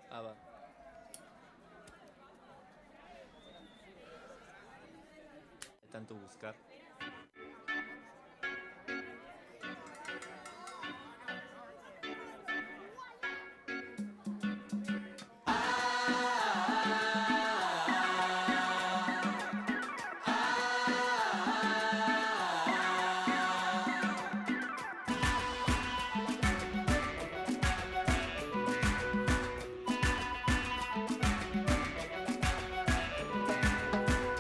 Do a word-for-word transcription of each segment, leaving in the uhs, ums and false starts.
Ah, va. Tanto buscar.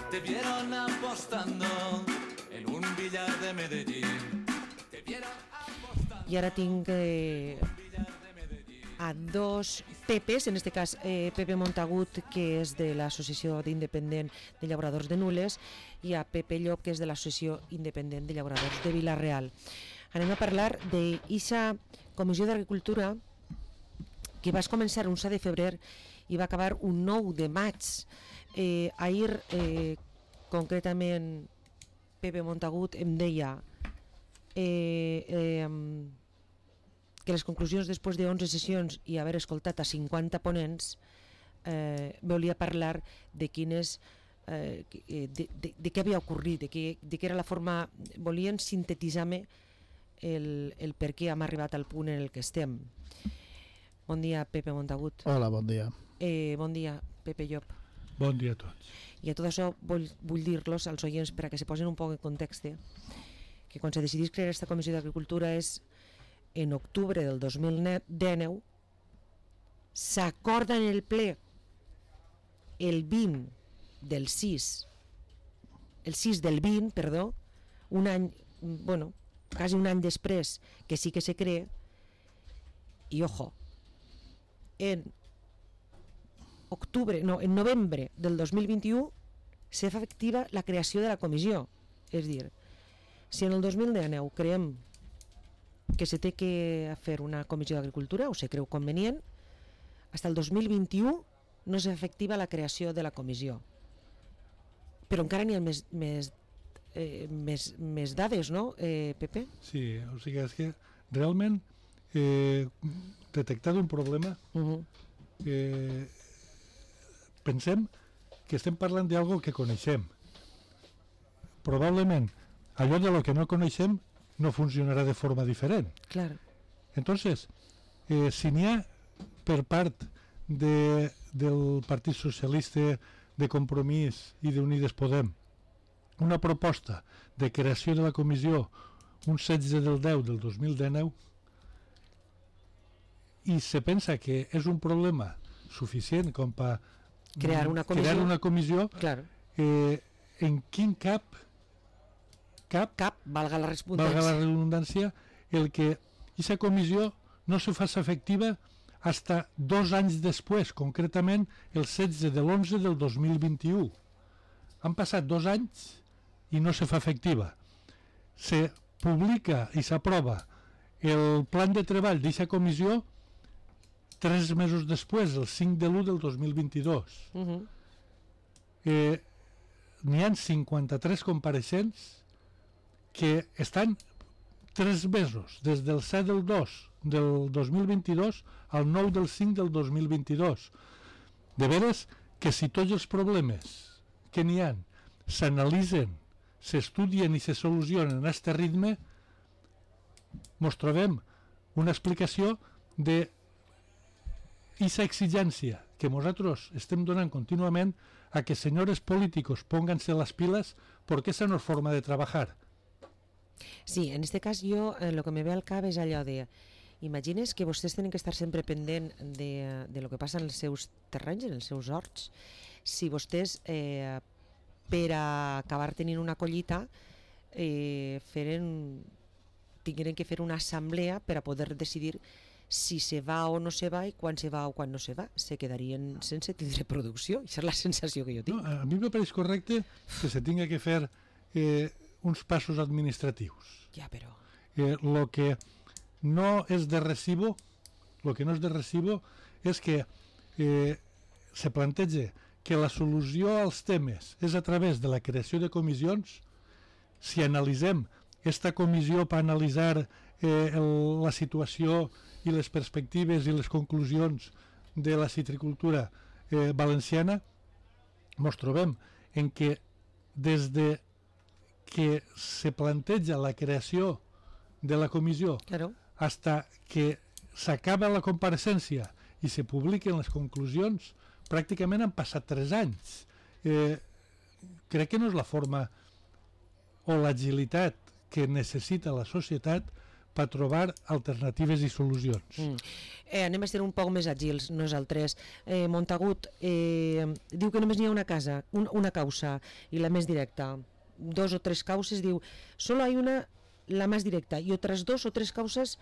Te vieron apostando en un billar de Medellín. Te vieron apostando. I ara tinc eh, a dos Pepes, en este cas eh, Pepe Montagut, que és de l'Associació d'Independent de Llauradors de Nules, i a Pepe Llop, que és de l'Associació Independent de Llauradors de Vila-real. Anem a parlar d'eixa Comissió d'Agricultura que va començar un set de febrer i va acabar un nou de maig. Eh, ahir, eh, concretament, Pepe Montagut em deia eh, eh, que les conclusions després d'onze sessions i haver escoltat a cinquanta ponents eh, volia parlar de quines eh, de, de, de què havia ocorrit, de, que, de què era la forma, volien sintetitzar-me el, el per què hem arribat al punt en el que estem. Bon dia, Pepe Montagut. Hola, bon dia. Eh, bon dia, Pepe Llop. Bon dia a tots. I a tot això vull, vull dir-los als oients per a que se posen un poc en context, que quan se decidís crear aquesta Comissió d'Agricultura és en octubre del dos mil dinou, s'acorda en el ple el vint del sis, el sis del vint, perdó, un any, bueno, quasi un any després que sí que se crea, i ojo, en octubre, no, en novembre del dos mil vint-i-u se fa efectiva la creació de la comissió. És dir, si en el dos mil dinou creiem que se té que fer una comissió d'agricultura o se creu convenient, fins al dos mil vint-i-u no se fa efectiva la creació de la comissió. Però encara n'hi ha més, més, eh, més, més dades, no, eh, Pepe? Sí, o sigui, és que realment eh, detectat un problema Uh-huh. eh, pensem que estem parlant d'algo que coneixem. Probablement allò de lo que no coneixem no funcionarà de forma diferent. Claro. Entonces, eh, si n'hi ha per part de, del Partit Socialista, de Compromís i d'Unides Podem una proposta de creació de la comissió un setze del deu del dos mil dinou i se pensa que és un problema suficient com per Crear una comissió, crear una comissió claro. eh, en quin cap cap, Cap, valga la redundància. valga la redundància, el que aquesta comissió no se faci efectiva hasta dos anys després, concretament el setze de l'onze del dos mil vint-i-u. Han passat dos anys i no se fa efectiva. Se publica i s'aprova el plan de treball d'aquesta comissió tres mesos després, el cinc de l'u del dos mil vint-i-dos. Uh-huh. Eh, n'hi ha cinquanta-tres compareixents que estan tres mesos, des del set del dos del dos mil vint-i-dos al nou del cinc del dos mil vint-i-dos. De veres que si tots els problemes que n'hi ha s'analitzen, s'estudien i se solucionen a aquest ritme, mos trobem una explicació de esa exigència que nosaltres estem donant contínuament a que senyores políticos pónganse las pilas porque esa no es forma de trabajar. Sí, en este cas jo eh, lo que me ve al cap és allò de imagines que vostès tenen que estar sempre pendent de, de lo que passa en els seus terrenys, en els seus horts. Si vostès eh, per a acabar tenint una collita eh, feren, tingueren que fer una assemblea per a poder decidir si se va o no se va i quan se va o quan no se va. Se quedarien sense tindre producció. Això és la sensació que jo tinc. No, a mi me pareix correcte que se tinga que fer eh, uns passos administratius. Ja, però... Eh, lo que no és de recibo, lo que no és de recibo és que eh, se planteja que la solució als temes és a través de la creació de comissions. Si analitzem esta comissió per analitzar eh, el, la situació i les perspectives i les conclusions de la citricultura eh, valenciana, ens trobem en que des de que se planteja la creació de la comissió Claro. hasta que s'acaba la compareixença i se publiquen les conclusions, pràcticament han passat tres anys. Eh, crec que no és la forma o l'agilitat que necessita la societat per trobar alternatives i solucions. Mm. Eh, anem a ser un poc més àgils nosaltres. Eh, Montagut eh, diu que només n'hi ha una casa, un, una causa, i la més directa. Dos o tres causes, diu, solo hay una, la más directa, y otras dos o tres causas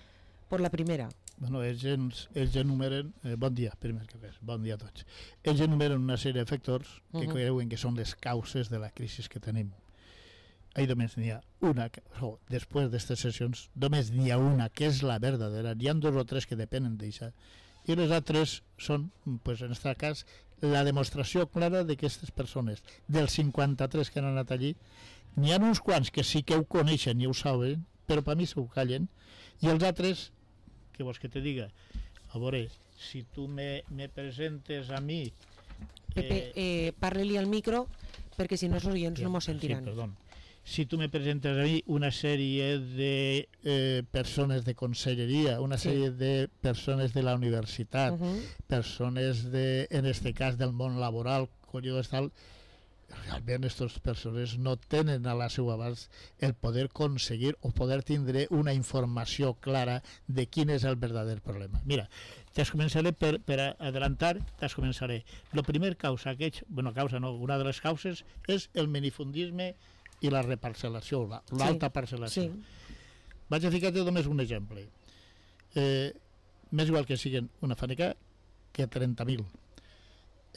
por la primera. Bueno, ells, ens, ells enumeren, eh, bon dia, primer que res, bon dia a tots. Ells enumeren una sèrie de factors que uh -huh. creuen que són les causes de la crisi que tenim. Ahí només n'hi ha una, o després d'aquestes sessions, només n'hi ha una, que és la verdadera. N'hi ha dos o tres que depenen d'això. I les altres són, pues, en aquest cas, la demostració clara de que aquestes persones, dels cinquanta-tres que han anat allí, n'hi ha uns quants que sí que ho coneixen i ho saben, però per mi s'ho callen, i els altres, què vols que te diga? A veure, si tu me, me presentes a mi... Pepe, eh, parle-li al micro, perquè si no els oients no mos sentiran. Sí, perdó. Si tu me presentes a mi una sèrie de eh, persones de conselleria, una sèrie sí. de persones de la universitat, uh -huh. persones, de, en este cas, del món laboral, collons tal, realment aquestes persones no tenen a la seva abast el poder aconseguir o poder tindre una informació clara de quin és el verdader problema. Mira, te'ls començaré per, per adelantar, te'ls començaré. La primera causa, que ets, bueno, causa no, una de les causes és el minifundisme i la reparcel·lació, l'alta sí, parcel·lació. Sí. Vaig a ficar-te només un exemple. Eh, més igual que siguin una fàbrica que trenta mil.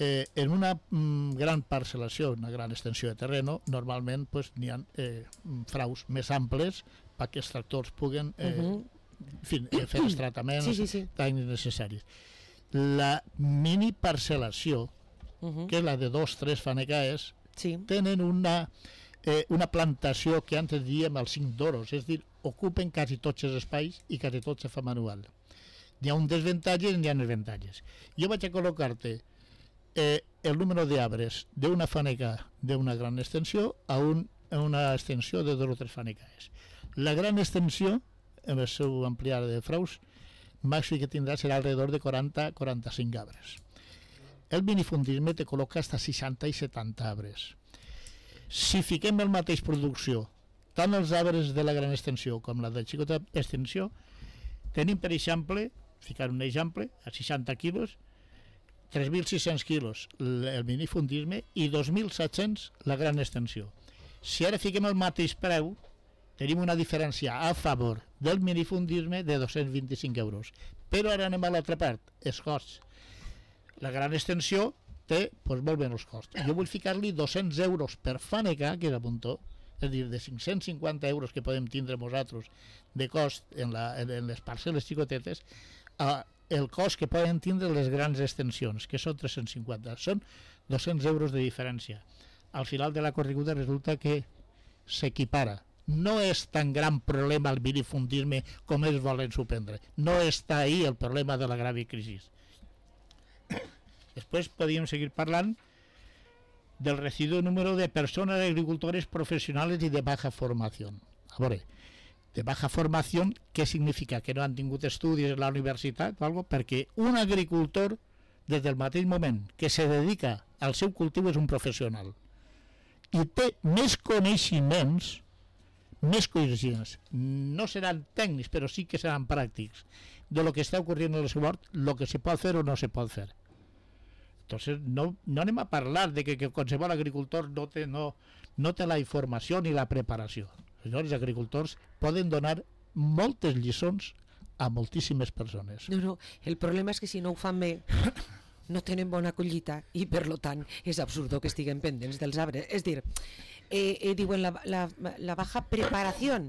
Eh, en una mm, gran parcel·lació, una gran extensió de terreno, normalment pues, n'hi ha eh, fraus més amples perquè els tractors puguen eh, uh -huh. en fi, eh, fer els tractaments sí, sí, sí. tècnics necessaris. La mini parcel·lació, uh -huh. que és la de dos o tres fanecaes, sí. tenen una... Eh, una plantació que antes diem els cinc d'oros, és a dir, ocupen quasi tots els espais i quasi tot se fa manual. N'hi ha un desavantatge i n'hi ha avantatges. Jo vaig a col·locar-te eh, el número d'arbres d'una faneca d'una gran extensió a, un, a una extensió de dos o tres fanecaes. La gran extensió, en el seu ampliar de fraus, màxim que tindrà serà alrededor de quaranta a quaranta-cinc arbres. El minifundisme te col·loca fins a seixanta i setanta arbres. Si fiquem el mateix producció, tant els arbres de la gran extensió com la de xicota extensió, tenim, per exemple, ficar un exemple, a seixanta quilos, tres mil sis-cents quilos el minifundisme i dos mil set-cents la gran extensió. Si ara fiquem el mateix preu, tenim una diferència a favor del minifundisme de dos-cents vint-i-cinc euros. Però ara anem a l'altra part, els costs. La gran extensió té doncs, molt bé els costs. Jo vull ficar-li dos-cents euros per faneca, que és a puntó, és a dir, de cinc-cents cinquanta euros que podem tindre nosaltres de cost en, la, en les parcel·les xicotetes, a el cost que poden tindre les grans extensions, que són tres-cents cinquanta. Són dos-cents euros de diferència. Al final de la correguda resulta que s'equipara. No és tan gran problema el minifundisme com ells volen suprendre. No està ahí el problema de la grave crisi. Després podríem seguir parlant del residuo número de personas agricultores profesionales y de baja formación. A veure, de baja formación, què significa? Que no han tingut estudis en la universitat o algo? Perquè un agricultor, des del mateix moment que se dedica al seu cultiu, és un professional. I té més coneixements, més coneixements, no seran tècnics, però sí que seran pràctics, de lo que està ocorrent en el seu hort, lo que se pot fer o no se pot fer. Entonces, no, no anem a parlar de que, que qualsevol agricultor no té, no, no té la informació ni la preparació. Els agricultors poden donar moltes lliçons a moltíssimes persones. No, no, el problema és que si no ho fan bé no tenen bona collita i per lo tant és absurdo que estiguen pendents dels arbres. És dir, eh, eh, diuen la, la, la baja preparació.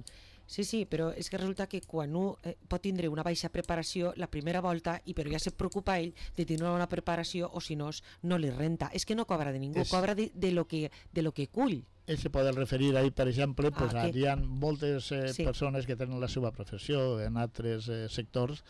Sí, sí, però és que resulta que quan un eh, pot tindre una baixa preparació la primera volta, i però ja se preocupa ell de tenir una bona preparació, o si no, no li renta. És que no cobra de ningú, és... cobra de, de, lo que, de lo que cull. Ell se pot referir ahí, per exemple, pues, ah, que... hi ha moltes eh, sí. persones que tenen la seva professió en altres eh, sectors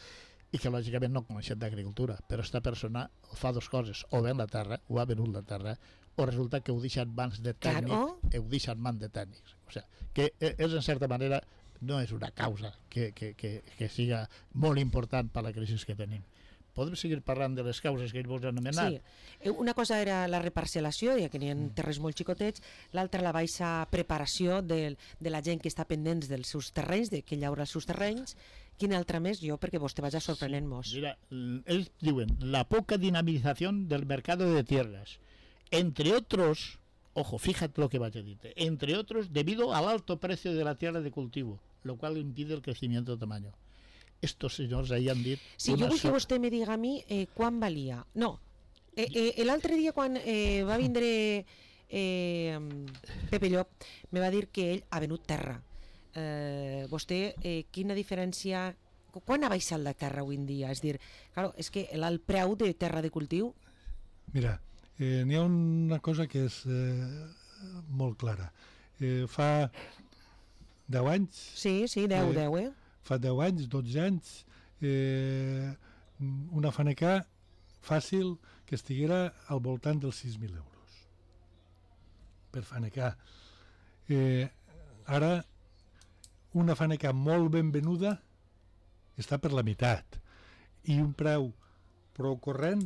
i que lògicament no coneixen d'agricultura, però esta persona fa dues coses, o ven la terra, o ha venut la terra, o resulta que ho deixa en mans de tècnic, Claro. ho deixa en mans de tècnics. O sigui, que és en certa manera, no és una causa que, que, que, que siga molt important per la crisi que tenim. Podem seguir parlant de les causes que ell vos ha anomenat? Sí, Eh, una cosa era la reparcel·lació, ja que n'hi ha terrenys molt xicotets, l'altra la baixa preparació de, de la gent que està pendents dels seus terrenys, de que llaura els seus terrenys. Quina altra més? Jo, perquè vostè vaja sorprenent-nos. Mira, l- ellos diuen, la poca dinamización del mercado de tierras, entre otros, ojo, fíjate lo que vas a decir, entre otros, debido al alto precio de la tierra de cultivo, lo cual impide el crecimiento de tamaño. Estos senyors ahí han dit... Sí, una jo vull que so- vostè me diga a mi eh, quan valia. No, eh, eh, l'altre dia quan eh, va vindre eh, Pepe Llop, me va dir que ell ha venut terra. Eh, vostè, eh, quina diferència... qu- Quan ha baixat la terra avui en dia? És dir, claro, és que el el preu de terra de cultiu... Mira, eh, n'hi ha una cosa que és eh, molt clara. Eh, fa deu anys, Sí, sí, deu, Eh, deu, eh? fa deu anys, dotze anys, eh, una fanecà fàcil que estiguera al voltant dels sis mil euros per fanecà. Eh, ara, una fanecà molt ben venuda està per la meitat i un preu prou corrent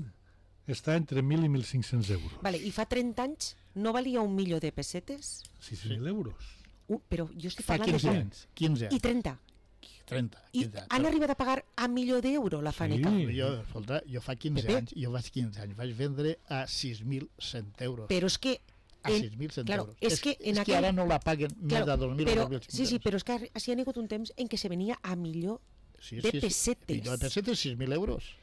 està entre mil i mil cinc-cents euros. Vale, i fa trenta anys no valia un milió de pessetes? sis mil euros. Uh, però jo estic Fa parlant de... quinze fa- anys. quinze I anys. trenta. trenta. I quinze anys. han arribat a pagar a milió d'euro la faneca. Sí. Jo, escolta, jo fa quinze Pepe. anys, jo vaig quinze anys, vaig vendre a sis mil cent euros. Però és que... a en- sis mil cent claro, euros. és que en és que aquell- ara no la paguen més de dos mil però, o dos mil sí, sí, però és que ha- sí ha hagut un temps en què se venia a millor, sí, de pessetes. Millor de pessetes, sis mil euros.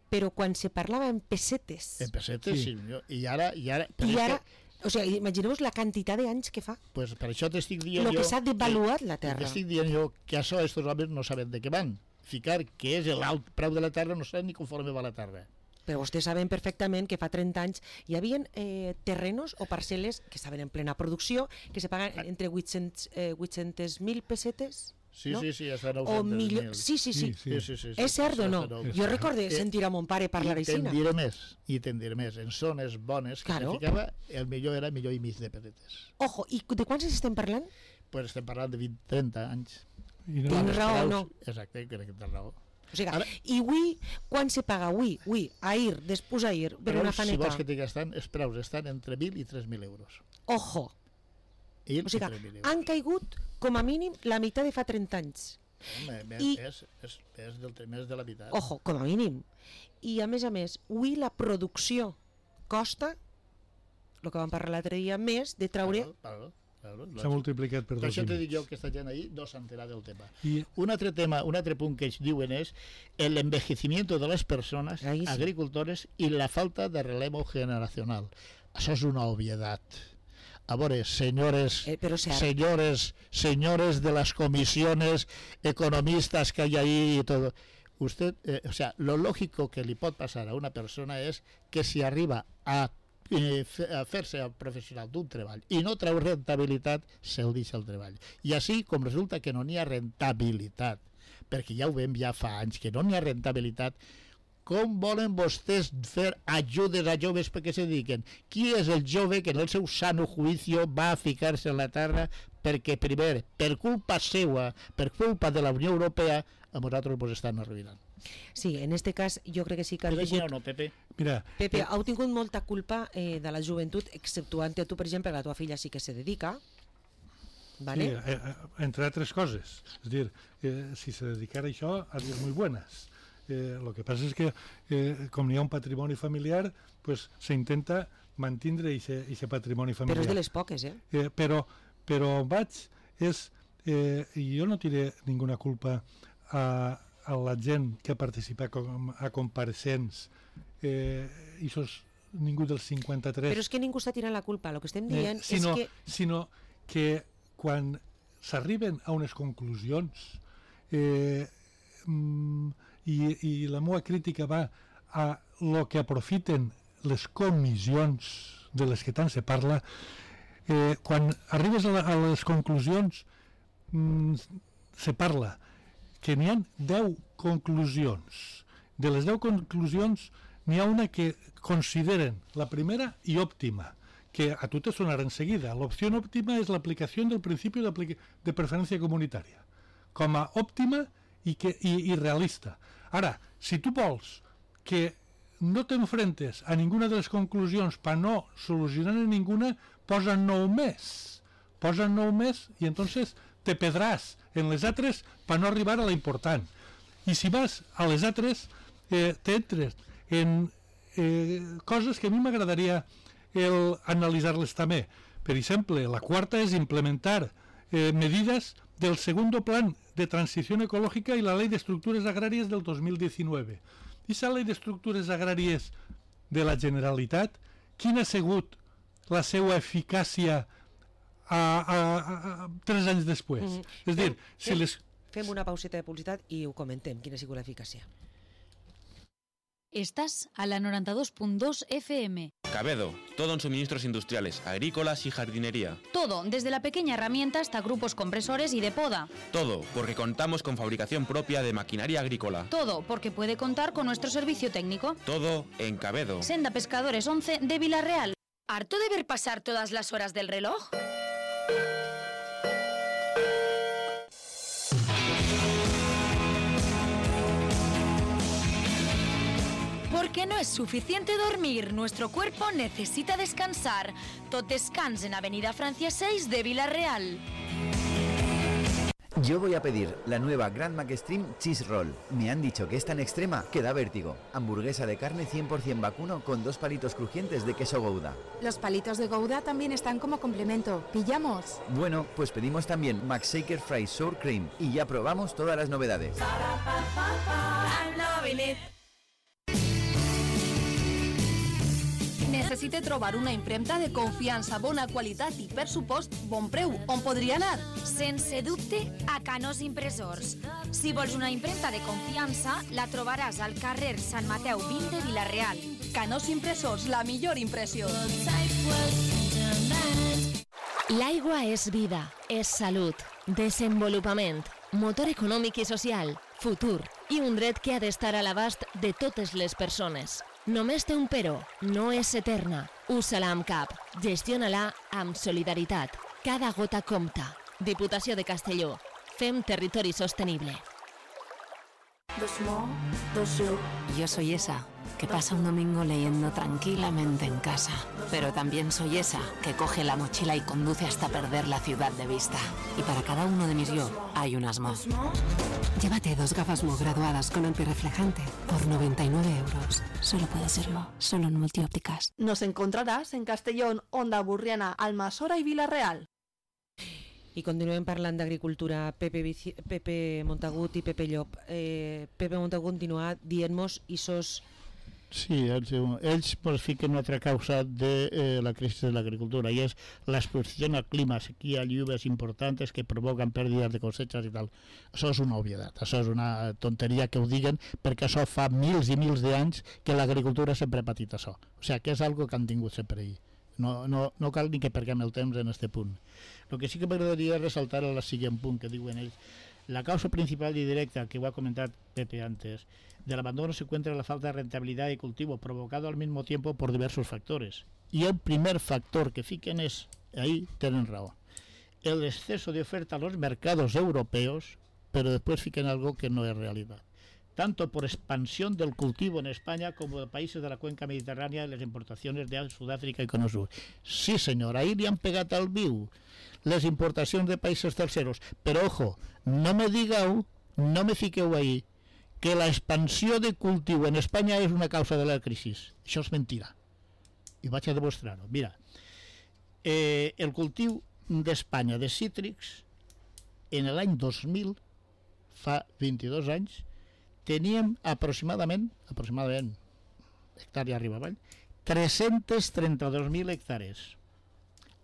però quan se parlava en pessetes. En pessetes, Sí. sí. Millor. I ara... I ara, però I és ara, Que, o sigui, imagineu-vos la quantitat d'anys que fa. pues per això t'estic dient Lo jo... que s'ha devaluat la terra. T'estic dient jo que això estos homes no saben de què van. Ficar que és l'alt preu de la terra, no saben ni conforme va la terra. Però vostès saben perfectament que fa trenta anys hi havia eh, terrenos o parcel·les que estaven en plena producció, que se paguen entre vuit-cents mil pessetes, Sí, no? sí, sí, hasta o nou-cents milió... mil. Sí, sí, sí. Sí, Sí, sí, sí, sí, És cert o no? hasta És Jo cert. recorde Eh, sentir a mon pare parlar I te'n així. diré més, i te'n diré més. En zones bones que Claro. se ficava, el millor era millor i mig de pessetes. Ojo, i de quants estem parlant? Pues estem parlant de vint trenta anys. I no, Tens Els raó, preus- no? Exacte, crec que tens raó. O sigui, Ara- i avui, quan se paga avui, avui, ahir, després ahir, per Però una si faneca? vols que t'hi gastant, els preus estan entre mil i tres mil euros. Ojo, mil o i sigui, tres mil euros. han caigut com a mínim la meitat de fa trenta anys. Home, més, i- és, és, és, del, més de la veritat. Ojo, com a mínim. I a més a més, avui la producció costa, el que vam parlar l'altre dia, més de traure... Claro, claro, claro, s'ha multiplicat per Per dos això i te dic mig. jo que aquesta gent ahí no s'entera del tema. I Un altre tema, un altre punt que ells diuen és el envejecimiento de les persones Ahí sí. agricultores i la falta de relevo generacional. Això és una obvietat. A veure, senyores, Eh, però cert. señores, señores de las comisiones economistas que hay ahí y todo. Usted, eh, o sea, lo lógico que li pot passar a una persona és que si arriba a, eh, fe- a fer-se professional d'un treball i no treu rentabilitat, se'l deixa el treball. I així, com resulta que no n'hi ha rentabilitat, perquè ja ho veiem ja fa anys, que no n'hi ha rentabilitat, com volen vostès fer ajudes a joves perquè se dediquen? Qui és el jove que en el seu sano juicio va a ficar-se en la terra perquè, primer, per culpa seua, per culpa de la Unió Europea, a nosaltres ens estan arruïnant. Sí, en este cas jo crec que sí que has És així o tingut... no, Pepe? mira, Pepe, heu tingut molta culpa eh, de la joventut, exceptuant a tu, per exemple, que la teva filla sí que se dedica, vale? sí, eh, eh, entre altres coses. És dir, eh, si se dedicara a això, haria muy buenas. Eh, lo que passa és que, eh, com n'hi ha un patrimoni familiar, pues, se intenta mantindre aquest patrimoni familiar. Però és de les poques, eh? Eh, però, però on vaig és, eh, i jo no tiré ninguna culpa a, a la gent que participa com, a compareixents, eh, i sos ningú dels cinquanta-tres, Però és que ningú està tirant la culpa, el que estem eh, dient sinó, és que... sinó que quan s'arriben a unes conclusions eh, mm, i, i la meva crítica va a lo que aprofiten les comissions de les que tant se parla, eh, quan arribes a, la, a les conclusions mm, se parla que n'hi ha deu conclusions de les deu conclusions n'hi ha una que consideren la primera i òptima, que a tu te sonarà enseguida. L'opció òptima és l'aplicació del principi de, de preferència comunitària, com a òptima i, que, i, i realista. Ara, si tu vols que no t'enfrentes a ninguna de les conclusions per no solucionar ninguna, posa nou més. Posa nou més i entonces te pedràs en les altres per no arribar a la important. I si vas a les altres, eh, t'entres en eh, coses que a mi m'agradaria el analitzar-les també. Per exemple, la quarta és implementar eh, medidas del segundo plan de transición ecológica y la ley de estructuras agrarias del dos mil diecinueve. Aquesta ley de estructures agràries de la Generalitat, quina ha sigut la seva eficàcia a, a, a, a, tres anys després? Mm -hmm. És dir, fem, si fem, les... Fem una pauseta de publicitat i ho comentem, quina ha sigut l'eficàcia. Estás a la noventa y dos punto dos F M. Cabedo, todo en suministros industriales, agrícolas y jardinería. Todo, desde la pequeña herramienta hasta grupos compresores y de poda. Todo, porque contamos con fabricación propia de maquinaria agrícola. Todo, porque puede contar con nuestro servicio técnico. Todo en Cabedo. Senda Pescadores once de Villarreal. ¿Harto de ver pasar todas las horas del reloj? Porque no es suficiente dormir, nuestro cuerpo necesita descansar. Tot Descans en Avenida Francia seis de Villarreal. Yo voy a pedir la nueva Grand Mac Extreme Cheese Roll. Me han dicho que es tan extrema que da vértigo. Hamburguesa de carne cien por ciento vacuno con dos palitos crujientes de queso Gouda. Los palitos de Gouda también están como complemento. ¿Pillamos? Bueno, pues pedimos también Mac Shaker Fries Sour Cream y ya probamos todas las novedades. Necessite trobar una impremta de confiança, bona qualitat i, per supost, bon preu. On podria anar? Sense dubte, a Canós Impressors. Si vols una impremta de confiança, la trobaràs al carrer Sant Mateu vint de Villarreal. Canós Impressors, la millor impressió. L'aigua és vida, és salut, desenvolupament, motor econòmic i social, futur i un dret que ha d'estar a l'abast de totes les persones. Només té un però, no és eterna. Usa-la amb cap, gestiona-la amb solidaritat. Cada gota compta. Diputació de Castelló. Fem territori sostenible. Yo soy esa que pasa un domingo leyendo tranquilamente en casa, pero también soy esa que coge la mochila y conduce hasta perder la ciudad de vista. Y para cada uno de mis yo hay un Asmo. Llévate dos gafas Mo graduadas con antirreflejante por noventa y nueve euros. Solo puede serlo, solo en Multiópticas. Nos encontrarás en Castellón, Onda Burriana, Almassora y Villarreal. I continuem parlant d'agricultura. Pepe, Vici... Pepe Montagut i Pepe Llop. Eh, Pepe Montagut continua dient-nos isos... Sí, ells, ells pues, fiquen una altra causa de eh, la crisi de l'agricultura i és l'exposició al clima, sequía, lluvias importantes que provoquen pèrdides de cosechas i tal. Això és una obvietat, això és una tonteria que ho diguen perquè això fa mils i mils d'anys que l'agricultura sempre ha patit això. O sigui, que és algo que han tingut sempre ahí. No, no, no cal ni que perguem el temps en este punt. El que sí que m'agradaria ressaltar és el següent punt que diuen ells. La causa principal y directa, que voy a comentar Pepe antes, del abandono se encuentra la falta de rentabilidad de cultivo, provocado al mismo tiempo por diversos factores. Y el primer factor que fiquen es, ahí tienen razón, el exceso de oferta a los mercados europeos, pero después fiquen algo que no es realidad. Tanto por expansión del cultivo en España como de países de la cuenca mediterránea y las importaciones de Sudáfrica y Cono Sur. Sí, señor, ahí le han pegado al viu les importacions de països terceros, però ojo, no me digueu, no me fiqueu ahí, que la expansió de cultiu en Espanya és una causa de la crisi. Això és mentira. I vaig a demostrar-ho. Mira, eh, el cultiu d'Espanya de cítrics, en l'any dos mil, fa vint-i-dos anys, teníem aproximadament, aproximadament, hectàrea arriba avall, tres-cents trenta-dos mil hectàrees.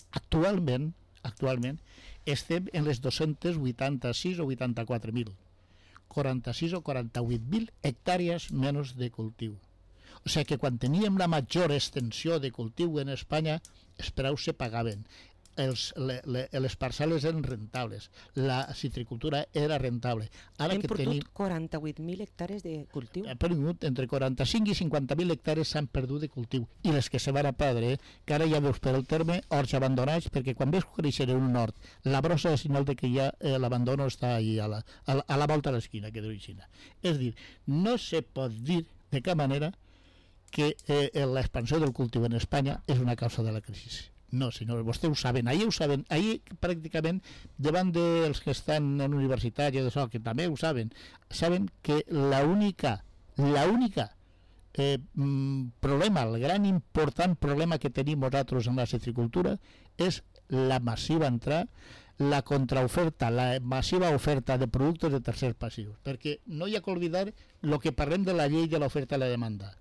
Actualment, actualment estem en les dos-cents vuitanta-sis o vuitanta-quatre mil, quaranta-sis o quaranta-vuit mil hectàrees menys de cultiu. O sigui que quan teníem la major extensió de cultiu en Espanya, els preus se pagaven. els, le, le, les parcel·les eren rentables, la citricultura era rentable. Ara Hem que perdut tenim... quaranta-vuit mil hectàrees de cultiu. Hem perdut entre quaranta-cinc i cinquanta mil hectàrees s'han perdut de cultiu, i les que se van a perdre, que ara ja veus per el terme horts abandonats, perquè quan veus créixer en un hort, la brossa és senyal de que ja eh, l'abandono està allà a la, a la, a la volta de l'esquina, que diu Xina. És dir, no se pot dir de cap manera que eh, l'expansió del cultiu en Espanya és una causa de la crisi. No, senyors, vostès ho saben, ahir ho saben, ahir pràcticament davant dels que estan en universitat i d'això, que també ho saben, saben que l'única, l'única eh, problema, el gran important problema que tenim nosaltres en la citricultura és la massiva entrada, la contraoferta, la massiva oferta de productes de tercers passius, perquè no hi ha que oblidar el que parlem de la llei de l'oferta i la demanda.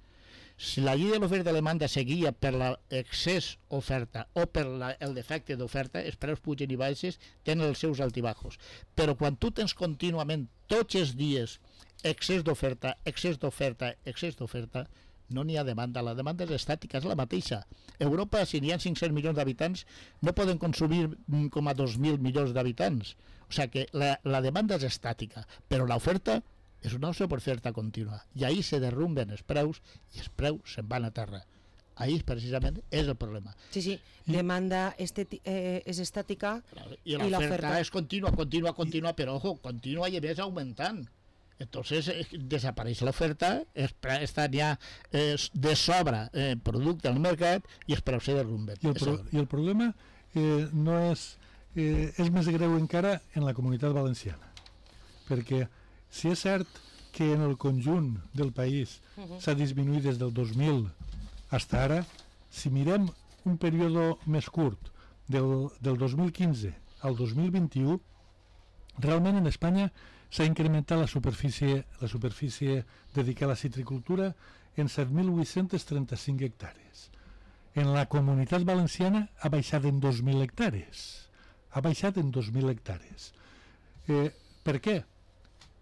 Si la llei de l'oferta i la demanda seguia per l'excés oferta o per la, el defecte d'oferta, els preus pugen i baixes, tenen els seus altibajos. Però quan tu tens contínuament, tots els dies, excés d'oferta, excés d'oferta, excés d'oferta, no n'hi ha demanda, la demanda és estàtica, és la mateixa. Europa, si n'hi ha cinc-cents milions d'habitants, no poden consumir com a dos mil milions d'habitants. O sigui que la, la demanda és estàtica, però l'oferta és una oferta contínua, i ahir se derrumben els preus i els preus se'n van a terra. Ahir precisament és el problema. Sí, sí, demanda esteti- eh, és estàtica i l'oferta és contínua, contínua, contínua, però ojo, contínua i a més augmentant. Entonces eh, desapareix l'oferta, està ja eh, de sobre eh, producte al mercat i els preus se derrumben. I el, pro i el problema eh, no és, eh, és més greu encara en la Comunitat Valenciana, perquè si és cert que en el conjunt del país uh-huh. s'ha disminuït des del dos mil fins ara, si mirem un període més curt, del, del dos mil quinze al dos mil vint-i-u, realment en Espanya s'ha incrementat la superfície, la superfície dedicada a la citricultura en set mil vuit-cents trenta-cinc hectàrees. En la Comunitat Valenciana ha baixat en dos mil hectàrees. Ha baixat en dos mil hectàrees. Eh, per què?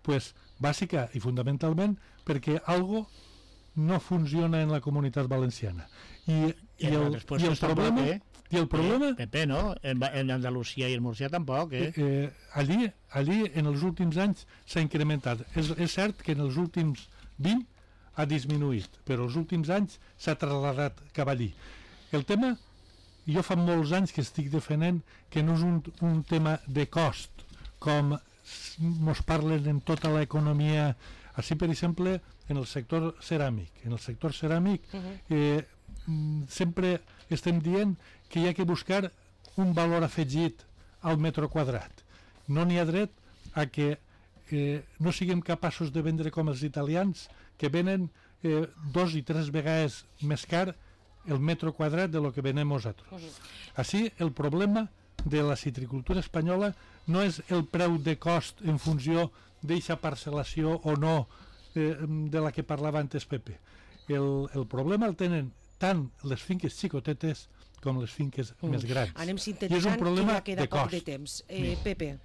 Pues, bàsica i fundamentalment perquè algo no funciona en la Comunitat Valenciana. I, i, el, i el problema... Eh? I el problema... Pepe, no? En, en Andalusia i en Múrcia tampoc, eh? eh, eh allí, allí en els últims anys s'ha incrementat. És, és cert que en els últims vint ha disminuït, però els últims anys s'ha trasladat cap allí. El tema, jo fa molts anys que estic defendent que no és un, un tema de cost, com ens parlen en tota l'economia. Així, per exemple, en el sector ceràmic. En el sector ceràmic eh, sempre estem dient que hi ha que buscar un valor afegit al metre quadrat. No n'hi ha dret a que eh, no siguem capaços de vendre com els italians, que venen eh, dos i tres vegades més car el metre quadrat de lo que venem nosaltres. Així, el problema de la citricultura espanyola no és el preu de cost en funció d'eixa parcel·lació o no eh, de la que parlava antes Pepe. El, el problema el tenen tant les finques xicotetes com les finques mm. més grans. Anem sintetitzant, que ja queda poc de temps. Eh, Pepe.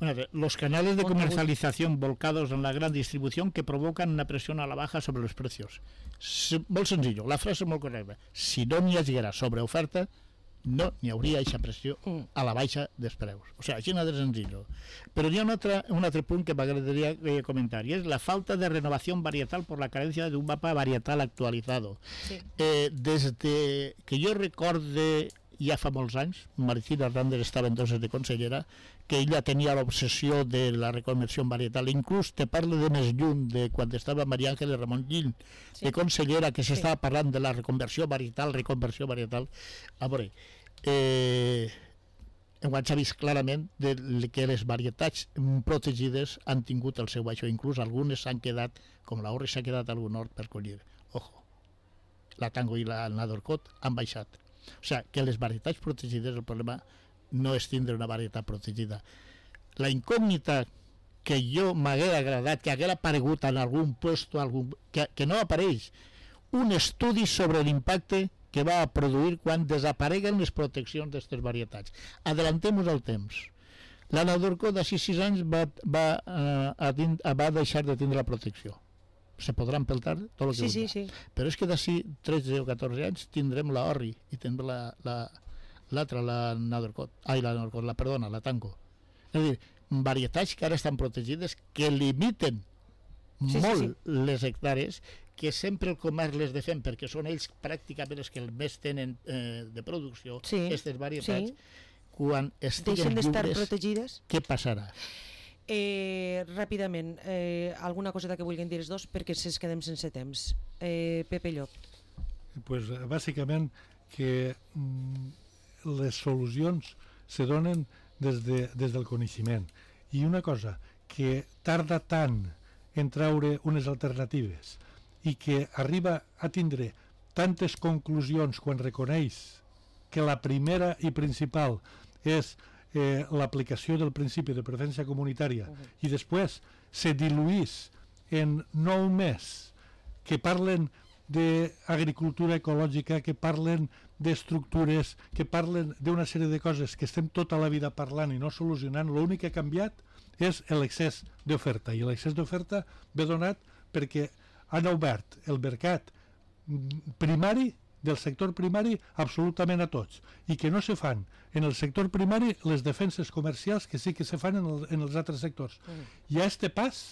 Bueno, los canales de comercialización volcados en la gran distribución que provocan una presión a la baja sobre los precios. S molt senzill, la frase és molt correcta. Si no n'hi haguera sobreoferta, no n'hi hauria aquesta pressió a la baixa dels preus. O sigui, així de senzill. Però hi ha un altre, un altre punt que m'agradaria eh, comentar, i és la falta de renovación varietal por la carencia de un mapa varietal actualizado. Sí. Eh, des de que jo recorde ja fa molts anys, Maricina Hernández estava entonces de consellera, que ella tenia l'obsessió de la reconversió varietal. Inclús te parlo de més lluny, de quan estava Maria Ángeles Ramon Gil, sí. de consellera, que s'estava sí. parlant de la reconversió varietal, reconversió varietal. A veure, eh, s'ha vist clarament de que les varietats protegides han tingut el seu baixó, inclús algunes s'han quedat, com l'Orri s'ha quedat algun hort per collir. Ojo, la Tango i la Nadorcot han baixat. O sigui, que les varietats protegides, el problema no és tindre una varietat protegida. La incògnita que jo m'haguera agradat, que haguera aparegut en algun puesto, algun, que, que no apareix, un estudi sobre l'impacte que va produir quan desapareguen les proteccions d'aquestes varietats. Adelantem-nos al temps. La Nadorco d'ací sis anys va, va, eh, va deixar de tindre la protecció. Se podrà empeltar tot el que sí, sí, sí. Però és que d'ací tretze o catorze anys tindrem la Orri i tindrem la, la, l'altra, la Norcot, ai, la Norcot, la, perdona, la Tanco. És a dir, varietats que ara estan protegides que limiten sí, molt sí, sí. les hectàrees, que sempre el comerç les defèn perquè són ells pràcticament els que més tenen eh, de producció, aquestes sí, varietats, sí. quan estiguen lliures, protegides. Què passarà? Eh, ràpidament, eh, alguna coseta que vulguin dir els dos perquè si es quedem sense temps. Eh, Pepe Llop. Pues, bàsicament que mm, les solucions se donen des, de, des del coneixement. I una cosa, que tarda tant en treure unes alternatives i que arriba a tindre tantes conclusions quan reconeix que la primera i principal és eh, l'aplicació del principi de preferència comunitària uh-huh. i després se diluís en nou més que parlen d'agricultura ecològica, que parlen d'estructures, que parlen d'una sèrie de coses que estem tota la vida parlant i no solucionant, l'únic que ha canviat és l'excés d'oferta, i l'excés d'oferta ve donat perquè han obert el mercat primari del sector primari absolutament a tots, i que no se fan en el sector primari les defenses comercials que sí que se fan en, el, en els altres sectors. Mm. Hi ha este pas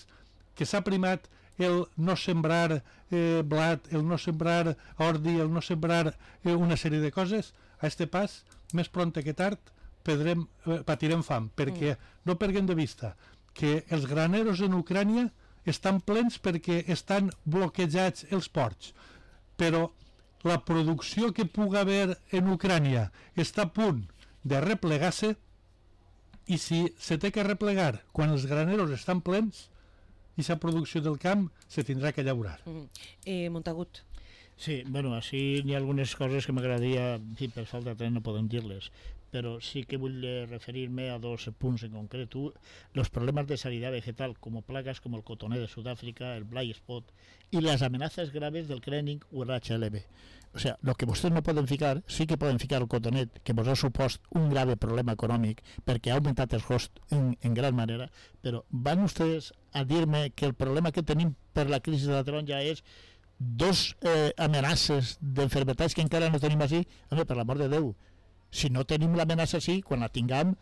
que s'ha primat el no sembrar eh, blat, el no sembrar ordi, el no sembrar eh, una sèrie de coses, a este pas, més prompte que tard, pedrem, eh, patirem fam, perquè mm. no perguem de vista que els graneros en Ucrània estan plens perquè estan bloquejats els ports, però la producció que pugui haver en Ucrània està a punt de replegar-se, i si se té que replegar quan els graneros estan plens, aquesta producció del camp se tindrà que llaurar. Mm. Eh, Montagut. Sí, bueno, així n'hi ha algunes coses que m'agradaria, sí, per falta de temps no podem dir-les, però sí que vull referir-me a dos punts en concret. Los problemas de sanidad vegetal, como plagas como el cotoné de Sudáfrica, el blight spot y las amenazas graves del crenning o el H L V. O sea, lo que vostès no poden ficar, sí que poden ficar el cotonet, que vos ha supost un grave problema econòmic perquè ha augmentat els costs en, en gran manera, però van vostès a dir-me que el problema que tenim per la crisi de la taronja és dos eh, amenaces d'enfermetats que encara no tenim així? Home, per l'amor de Déu, si no tenim l'amenaça així, quan la tinguem,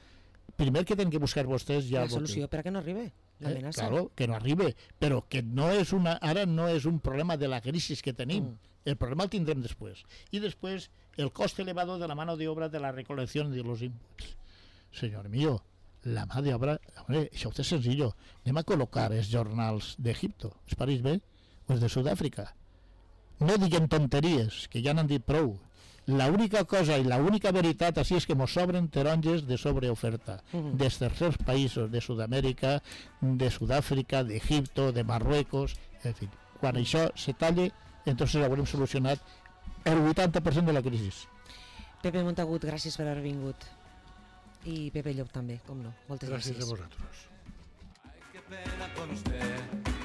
primer que tenen que buscar vostès ja... La solució per a que no arribi l'amenaça. Eh, claro, que no arribi, però que no és una, ara no és un problema de la crisi que tenim. Mm. El problema el tindrem després. I després, el coste elevado de la mano de obra de la recolección de los inputs. Señor mío, la mà d'obra, hombre, això és senzill. Anem a col·locar els jornals d'Egipto, es pareix bé, o els de Sud-àfrica. No diguem tonteries, que ja n'han dit prou. La única cosa i la única veritat així és que mos sobren taronges de sobreoferta uh-huh. dels tercers països de Sud-amèrica, de Sud-àfrica, d'Egipto, de Marruecos, en fi. Quan això se talle, entonces haurem solucionat el vuitanta per cent de la crisi. Pepe Montagut, gràcies per haver vingut. I Pepe Llop també, com no. Moltes gràcies. Gràcies a vosaltres. Ay, qué pena con usted,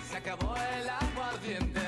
se acabó el aguardiente.